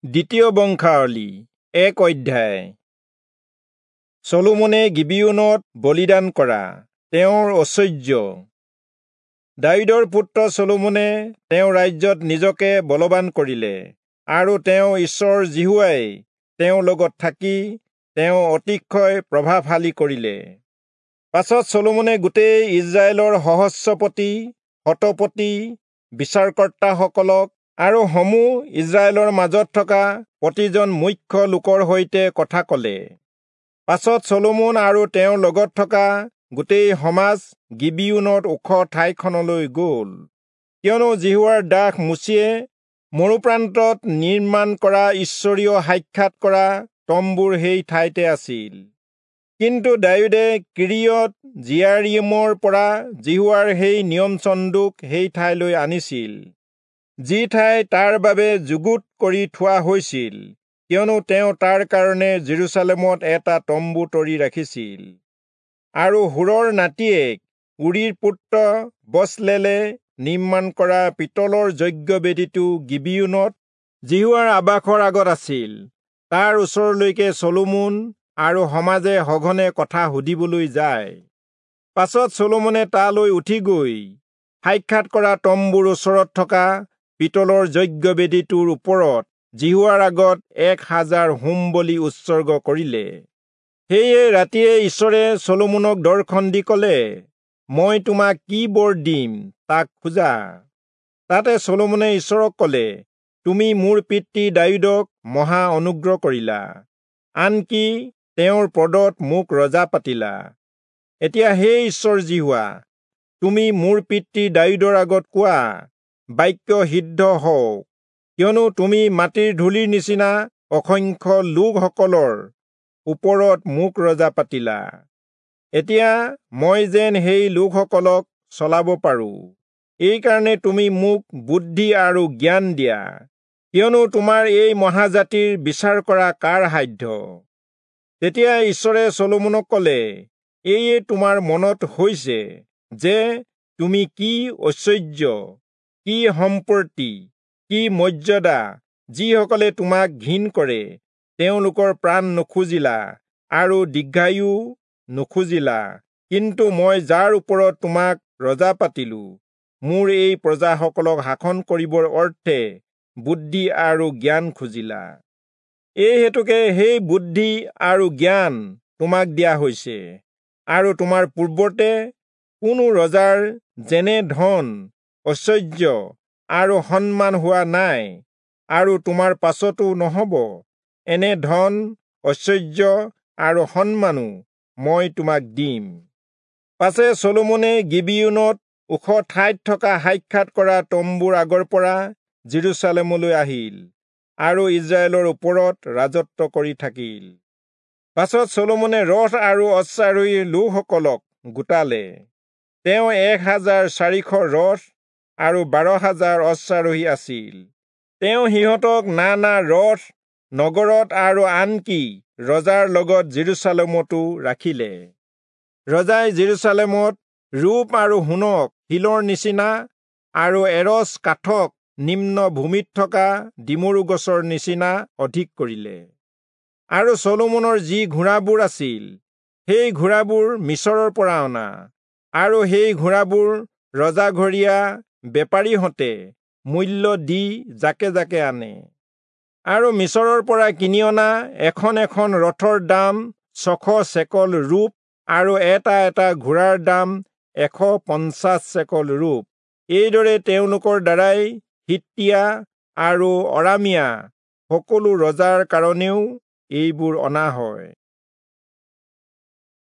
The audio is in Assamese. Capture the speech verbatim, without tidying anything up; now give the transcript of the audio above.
দ্বিতীয় বংশাৱলী এক অধ্যায়। চলোমনে গিবিয়োনত বলিদান কৰা তেওঁৰ ঐশ্বৰ্য। দায়ূদৰ পুত্ৰ চলোমনে তেওঁৰ ৰাজ্যত নিজকে বলৱান কৰিলে, আৰু তেওঁ ঈশ্বৰ যিহোৱাই তেওঁৰ লগত থাকি তেওঁ অতিশয় প্ৰভাৱশালী কৰিলে। পাছত চলোমনে গোটেই ইজৰাইলৰ সহস্ৰপতি, শতপতি, বিচাৰকৰ্তাসকলক আৰু সমূহ ইজৰাইলৰ মাজত থকা প্ৰতিজন মুখ্য লোকৰ সৈতে কথা কলে। পাছত চলোমন আৰু তেওঁৰ লগত থকা গোটেই সমাজ গিবিয়োনত ওখ ঠাইখনলৈ গল, কিয়নো যিহোৱাৰ দাস মোচিয়ে মৰুপ্ৰান্তত নিৰ্মাণ কৰা ঈশ্বৰীয় সাক্ষাৎ কৰা তম্বুৰ সেই ঠাইতে আছিল। কিন্তু দায়ূদে কিৰিয়ত যিয়াৰীমৰ পৰা যিহোৱাৰ সেই নিয়ম চন্দুক সেই ঠাইলৈ আনিছিল, যি ঠাই তাৰ বাবে যুগুত কৰি থোৱা হৈছিল, কিয়নো তেওঁ তাৰ কাৰণে যিৰূচালেমত এটা তম্বু তৰি ৰাখিছিল। আৰু হূৰৰ নাতিয়েক উৰীৰ পুত্ৰ বচলেলে নিৰ্মাণ কৰা পিতলৰ যজ্ঞবেদীটো গিবিয়োনত যিহোৱাৰ আবাসৰ আগত আছিল। তাৰ ওচৰলৈকে চলোমন আৰু সমাজে সঘনে কথা সুধিবলৈ যায়। পাছত চলোমনে তালৈ উঠি গৈ সাক্ষাৎ কৰা তম্বুৰ ওচৰত থকা পিতলৰ যজ্ঞবেদীটোৰ ওপৰত যিহোৱাৰ আগত এক হাজাৰ হোম বলি উৎসৰ্গ কৰিলে। সেয়ে ৰাতিয়ে ঈশ্বৰে চলোমনক দৰ্শন দি কলে, মই তোমাক কি বৰ দিম তাক খোজা। তাতে চলোমনে ঈশ্বৰক কলে, তুমি মোৰ পিতৃ দায়ূদক মহা অনুগ্ৰহ কৰিলা, আনকি তেওঁৰ পদত মোক ৰজা পাতিলা। এতিয়া হে ঈশ্বৰ যিহোৱা, তুমি মোৰ পিতৃ দায়ূদৰ আগত কোৱা বাক্য সিদ্ধ হওক, কিয়নো তুমি মাটিৰ ধূলিৰ নিচিনা অসংখ্য লোকসকলৰ ওপৰত মোক ৰজা পাতিলা। এতিয়া মই যেন সেই লোকসকলক চলাব পাৰো, এইকাৰণে তুমি মোক বুদ্ধি আৰু জ্ঞান দিয়া, কিয়নো তোমাৰ এই মহাজাতিৰ বিচাৰ কৰা কাৰ সাধ্য? তেতিয়া ঈশ্বৰে চলোমনক কলে, এয়ে তোমাৰ মনত হৈছে যে তুমি কি ঐশ্বৰ্য, কি সম্পত্তি, কি মৰ্যাদা, যিসকলে তোমাক ঘিণ কৰে তেওঁলোকৰ প্ৰাণ নুখুজিলা আৰু দীৰ্ঘায়ু নুখুজিলা, কিন্তু মই যাৰ ওপৰত তোমাক ৰজা পাতিলো, মোৰ এই প্ৰজাসকলক শাসন কৰিবৰ অৰ্থে বুদ্ধি আৰু জ্ঞান খুজিলা। এই হেতুকে সেই বুদ্ধি আৰু জ্ঞান তোমাক দিয়া হৈছে, আৰু তোমাৰ পূৰ্বতে কোনো ৰজাৰ যেনে ধন, ঐশ্বৰ্য আৰু সন্মান হোৱা নাই, আৰু তোমাৰ পাছতো নহব। এনে ধন, ঐশ্বৰ্য আৰু সন্মানো মই তোমাক দিম। পাছে চলোমনে গিবিয়োনত ওখ ঠাইত থকা সাক্ষাৎ কৰা তম্বুৰ আগৰ পৰা যিৰূচালেমলৈ আহিল আৰু ইজৰাইলৰ ওপৰত ৰাজত্ব কৰি থাকিল। পাছত চলোমনে ৰথ আৰু অশ্বাৰোহী লোকসকলক গোটালে। তেওঁ এক হাজাৰ চাৰিশ ৰথ আৰু বাৰ হাজাৰ অশ্বাৰোহী আছিল। তেওঁ সিহঁতক নানা ৰথ নগৰত আৰু আনকি ৰজাৰ লগত যিৰূচালেমতো ৰাখিলে। ৰজাই যিৰূচালেমত ৰূপ আৰু সোণক শিলৰ নিচিনা আৰু এৰচ কাঠক নিম্ন ভূমিত থকা ডিমৰু গছৰ নিচিনা অধিক কৰিলে। আৰু চলোমনৰ যি ঘোঁৰাবোৰ আছিল, সেই ঘোঁৰাবোৰ মিচৰৰ পৰা অনা, আৰু সেই ঘোঁৰাবোৰ ৰজাঘৰীয়া বেপাৰীহঁতে মূল্য দি জাকে জাকে আনে। আৰু মিচৰৰ পৰা কিনি অনা এখন এখন ৰথৰ দাম ছশ চেকল ৰূপ আৰু এটা এটা ঘোঁৰাৰ দাম এশ পঞ্চাছ চেকল ৰূপ। এইদৰে তেওঁলোকৰ দ্বাৰাই হিত্তীয়া আৰু অৰামীয়া সকলো ৰজাৰ কাৰণেও এইবোৰ অনা হয়।